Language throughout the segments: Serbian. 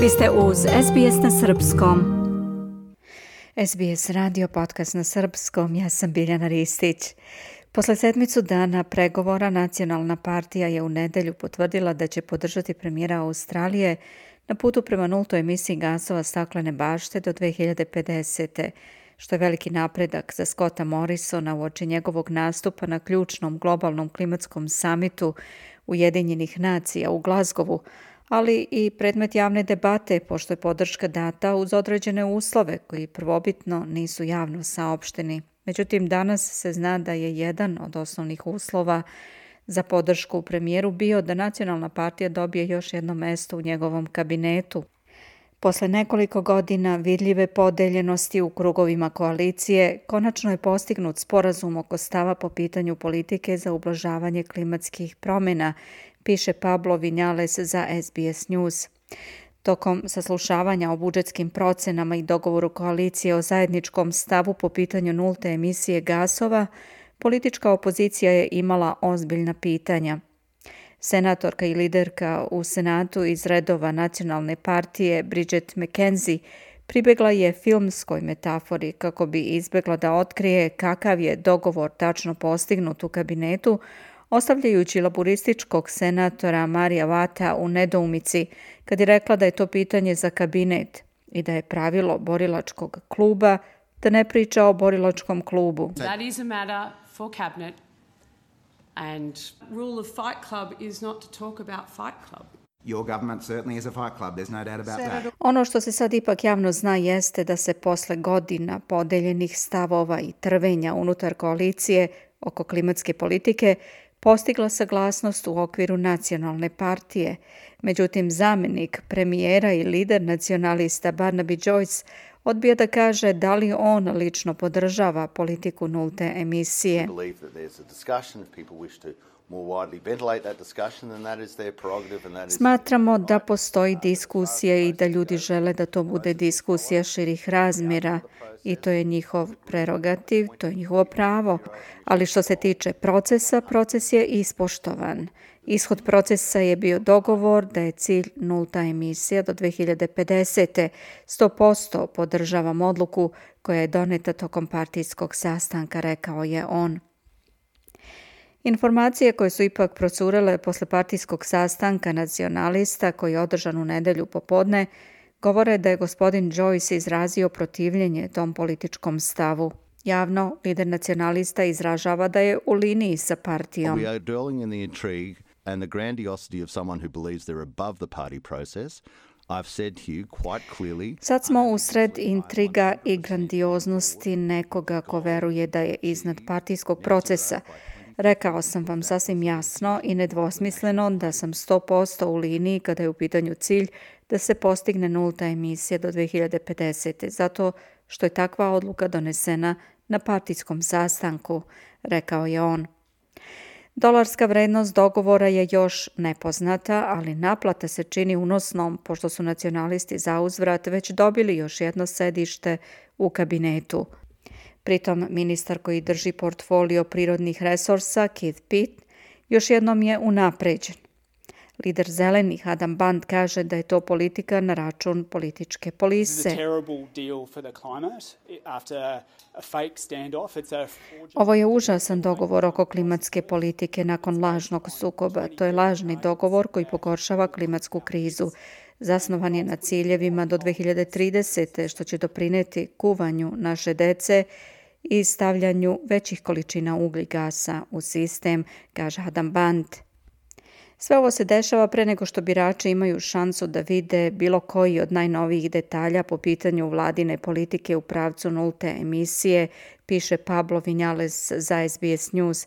Vi ste uz SBS na Srpskom. SBS radio podcast na Srpskom, ja sam Biljana Ristić. Posle sedmicu dana pregovora, Nacionalna partija je u nedelju potvrdila da će podržati premijera Australije na putu prema nultoj emisiji gasova staklene bašte do 2050. što je veliki napredak za Scotta Morrisona uoči njegovog nastupa na ključnom globalnom klimatskom samitu Ujedinjenih nacija u Glasgowu, ali i predmet javne debate, pošto je podrška data uz određene uslove koji prvobitno nisu javno saopšteni. Međutim, danas se zna da je jedan od osnovnih uslova za podršku premijeru bio da Nacionalna partija dobije još jedno mesto u njegovom kabinetu. Posle nekoliko godina vidljive podeljenosti u krugovima koalicije, konačno je postignut sporazum oko stava po pitanju politike za ublažavanje klimatskih promjena, piše Pablo Vinales za SBS News. Tokom saslušavanja o budžetskim procenama i dogovoru koalicije o zajedničkom stavu po pitanju nulte emisije gasova, politička opozicija je imala ozbiljna pitanja. Senatorka i liderka u Senatu iz redova Nacionalne partije Bridget McKenzie pribegla je filmskoj metafori kako bi izbegla da otkrije kakav je dogovor tačno postignut u kabinetu, ostavljajući laburističkog senatora Marija Vata u nedoumici kad je rekla da je to pitanje za kabinet i da je pravilo borilačkog kluba da ne priča o borilačkom klubu. That is a matter for cabinet. And rule of Fight Club is not to talk about Fight Club. Your government certainly is a fight club, there's no doubt about that. Ono što se sad ipak javno zna jeste da se posle godina podeljenih stavova i trvenja unutar koalicije oko klimatske politike postigla saglasnost u okviru Nacionalne partije. Međutim, zamjenik premijera i lider nacionalista Barnaby Joyce odbija da kaže da li on lično podržava politiku nulte emisije. Smatramo da postoji diskusija i da ljudi žele da to bude diskusija širih razmjera i to je njihov prerogativ, to je njihovo pravo. Ali što se tiče procesa, proces je ispoštovan. Ishod procesa je bio dogovor da je cilj nulta emisija do 2050. 100% podržavam odluku koja je doneta tokom partijskog sastanka, rekao je on. Informacije koje su ipak procurele posle partijskog sastanka nacionalista koji je održan u nedelju popodne govore da je gospodin Joyce izrazio protivljenje tom političkom stavu. Javno, lider nacionalista izražava da je u liniji sa partijom. And the grandiosity of someone who believes they're above the party process, I've said to you quite clearly. Sad smo usred intriga i grandioznosti nekoga ko veruje da je iznad partijskog procesa. Rekao sam vam sasvim jasno i nedvosmisleno da sam 100% u liniji kada je u pitanju cilj da se postigne nulta emisija do 2050. Zato što je takva odluka donesena na partijskom sastanku, rekao je on. Dolarska vrednost dogovora je još nepoznata, ali naplata se čini unosnom pošto su nacionalisti zauzvrat već dobili još jedno sedište u kabinetu. Pritom ministar koji drži portfolio prirodnih resursa, Keith Pitt, još jednom je unapređen. Lider zelenih Adam Band kaže da je to politika na račun političke polise. Ovo je užasan dogovor oko klimatske politike nakon lažnog sukoba. To je lažni dogovor koji pogoršava klimatsku krizu. Zasnovan je na ciljevima do 2030. što će doprineti kuvanju naše dece i stavljanju većih količina ugljigasa u sistem, kaže Adam Band. Sve ovo se dešava pre nego što birači imaju šansu da vide bilo koji od najnovijih detalja po pitanju vladine politike u pravcu nulte emisije, piše Pablo Vinales za SBS News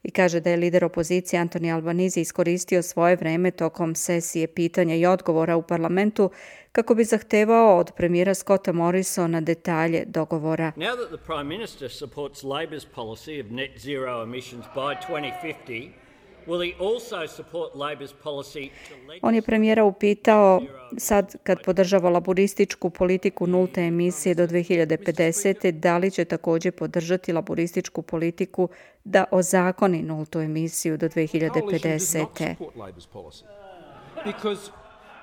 i kaže da je lider opozicije Anthony Albanese iskoristio svoje vreme tokom sesije pitanja i odgovora u parlamentu kako bi zahtevao od premijera Scotta Morrisona detalje dogovora. Now that the Prime Minister supports Labor's policy of net zero emissions by 2050, on je premijera upitao sad kad podržava laburističku politiku nulte emisije do 2050. da li će također podržati laburističku politiku da ozakoni nultu emisiju do 2050.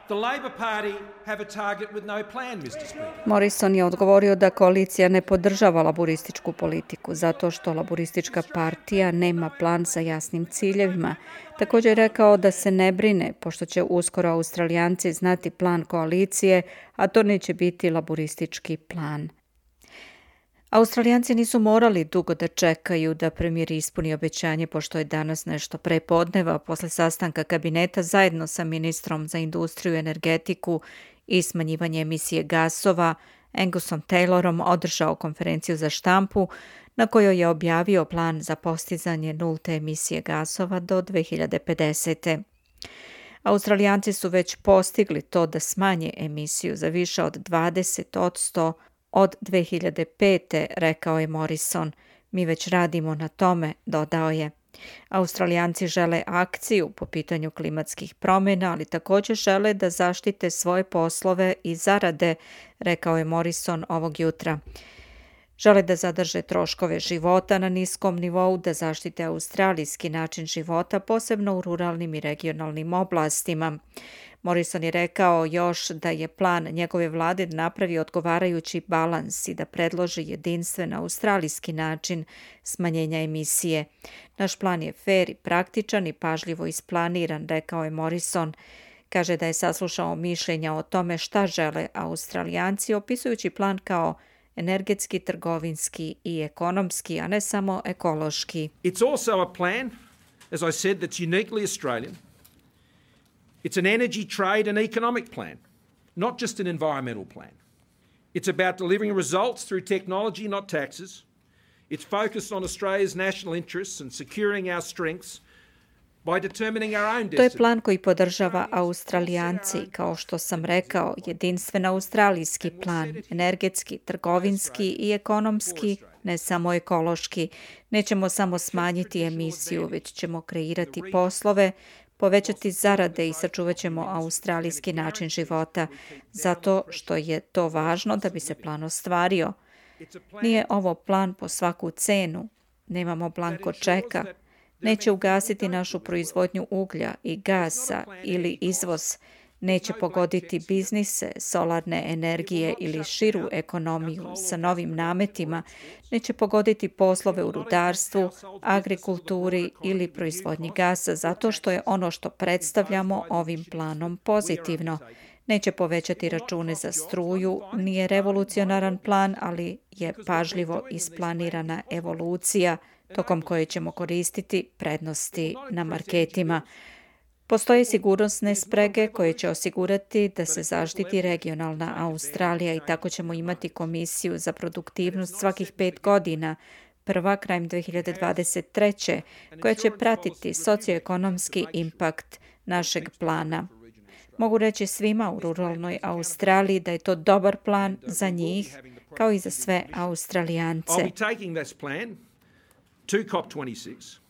The Labor Party have a target with no plan, Mr. Speaker. Morrison je odgovorio da koalicija ne podržava laburističku politiku zato što laburistička partija nema plan sa jasnim ciljevima. Također je rekao da se ne brine, pošto će uskoro Australijanci znati plan koalicije, a to neće biti laburistički plan. Australijanci nisu morali dugo da čekaju da premijer ispuni obećanje, pošto je danas nešto pre podneva posle sastanka kabineta zajedno sa ministrom za industriju, energetiku i smanjivanje emisije gasova Angusom Taylorom održao konferenciju za štampu na kojoj je objavio plan za postizanje nulte emisije gasova do 2050. Australijanci su već postigli to da smanje emisiju za više od 20% od 2005. rekao je Morrison. Mi već radimo na tome, dodao je. Australijanci žele akciju po pitanju klimatskih promjena, ali također žele da zaštite svoje poslove i zarade, rekao je Morrison ovog jutra. Žele da zadrže troškove života na niskom nivou, da zaštite australijski način života, posebno u ruralnim i regionalnim oblastima. Morrison je rekao još da je plan njegove vlade da napravi odgovarajući balans i da predloži jedinstven australijski način smanjenja emisije. Naš plan je fer i praktičan i pažljivo isplaniran, rekao je Morrison. Kaže da je saslušao mišljenja o tome šta žele Australijanci, opisujući plan kao energetski, trgovinski i ekonomski, a ne samo ekološki. It's also a plan, as I said, that's uniquely Australian. It's an energy, trade and economic plan, not just an environmental plan. It's about delivering results through technology, not taxes. It's focused on Australia's national interests and securing our strengths by determining our own destiny. To je plan koji podržava Australijanci, kao što sam rekao, jedinstven australijski plan, energetski, trgovinski i ekonomski, ne samo ekološki. Nećemo samo smanjiti emisiju, već ćemo kreirati poslove, povećati zarade i sačuvat ćemo australijski način života, zato što je to važno da bi se plan ostvario. Nije ovo plan po svaku cenu, nemamo blanko čeka, neće ugasiti našu proizvodnju uglja i gasa ili izvoz, neće pogoditi biznise, solarne energije ili širu ekonomiju sa novim nametima, neće pogoditi poslove u rudarstvu, agrikulturi ili proizvodnji gasa, zato što je ono što predstavljamo ovim planom pozitivno. Neće povećati račune za struju, nije revolucionaran plan, ali je pažljivo isplanirana evolucija tokom koje ćemo koristiti prednosti na marketima. Postoje sigurnosne sprege koje će osigurati da se zaštiti regionalna Australija i tako ćemo imati komisiju za produktivnost svakih 5 godina, prva krajem 2023. koja će pratiti socioekonomski impakt našeg plana. Mogu reći svima u ruralnoj Australiji da je to dobar plan za njih, kao i za sve Australijance. I'll be taking this plan to COP26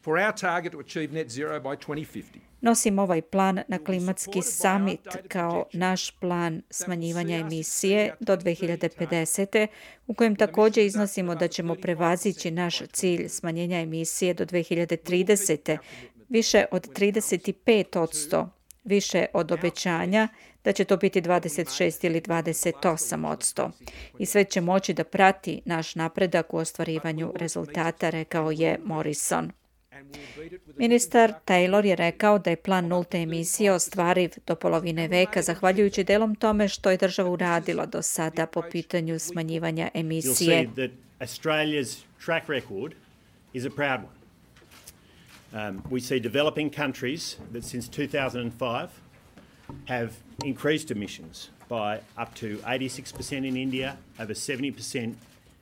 for our target to achieve net zero by 2050. Nosim ovaj plan na klimatski summit kao naš plan smanjivanja emisije do 2050. u kojem također iznosimo da ćemo prevazići naš cilj smanjenja emisije do 2030. više od 35%, više od obećanja da će to biti 26 ili 28%. I sve će moći da prati naš napredak u ostvarivanju rezultata, rekao je Morrison. Ministar Taylor je rekao da je plan nulte emisije ostvariv do polovine veka, zahvaljujući delom tome što je država uradila do sada po pitanju smanjivanja emisije. You'll see that Australia's track record is a proud one. We see developing countries that since 2005 have increased emissions by up to 86% in India, over 70%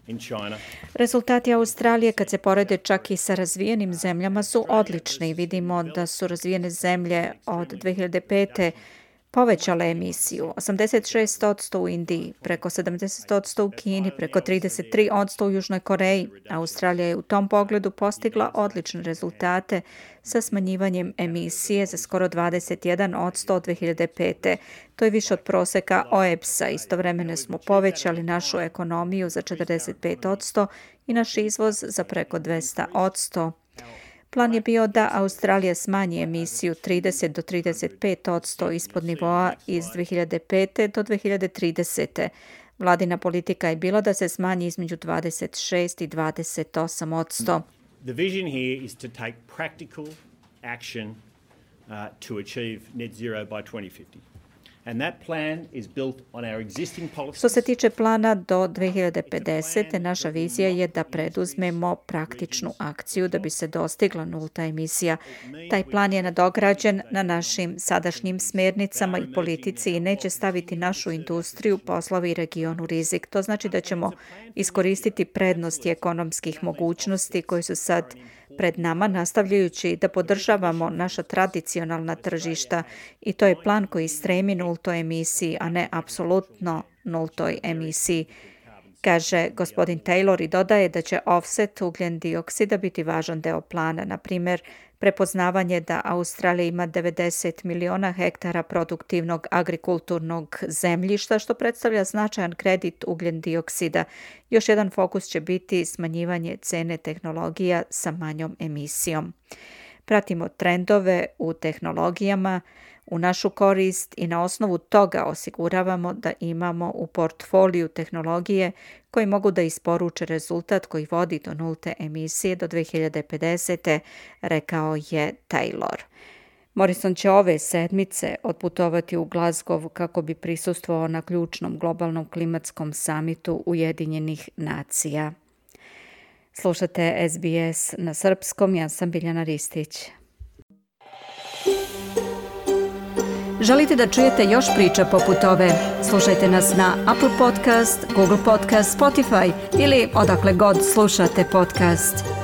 in China. Rezultati Australije kad se porede čak i sa razvijenim zemljama su odlični. Vidimo da su razvijene zemlje od 2005. povećale emisiju. 86% u Indiji, preko 70% u Kini, preko 33% u Južnoj Koreji. Australija je u tom pogledu postigla odlične rezultate sa smanjivanjem emisije za skoro 21% od 2005. To je više od proseka OEBS-a. Istovremeno smo povećali našu ekonomiju za 45% i naš izvoz za preko 200%. Plan je bio da Australija smanji emisiju 30 do 35% ispod nivoa iz 2005. do 2030. Vladina politika je bila da se smanji između 26 i 28%. The vision here is to take practical action to achieve net zero by 2050. And that plan is built on our existing policies. Što se tiče plana do 2050. naša vizija je da preduzmemo praktičnu akciju da bi se dostigla nulta emisija. Taj plan je nadograđen na našim sadašnjim smernicama i politici i neće staviti našu industriju, poslove i region u rizik. To znači da ćemo iskoristiti prednosti ekonomskih mogućnosti koji su sad pred nama, nastavljajući da podržavamo naša tradicionalna tržišta, i to je plan koji stremi nultoj emisiji, a ne apsolutno nultoj emisiji, kaže gospodin Taylor, i dodaje da će offset ugljen dioksida biti važan deo plana. Na primjer, prepoznavanje da Australija ima 90 miliona hektara produktivnog agrikulturnog zemljišta, što predstavlja značajan kredit ugljen dioksida. Još jedan fokus će biti smanjivanje cene tehnologija sa manjom emisijom. Pratimo trendove u tehnologijama u našu korist i na osnovu toga osiguravamo da imamo u portfoliju tehnologije koji mogu da isporuče rezultat koji vodi do nulte emisije do 2050. rekao je Taylor. Morrison će ove sedmice otputovati u Glasgow kako bi prisustvovao na ključnom globalnom klimatskom samitu Ujedinjenih nacija. Slušate SBS na srpskom, ja sam Biljana Ristić. Želite da čujete još priča poput ove? Slušajte nas na Apple Podcast, Google Podcast, Spotify ili odakle god slušate podcast.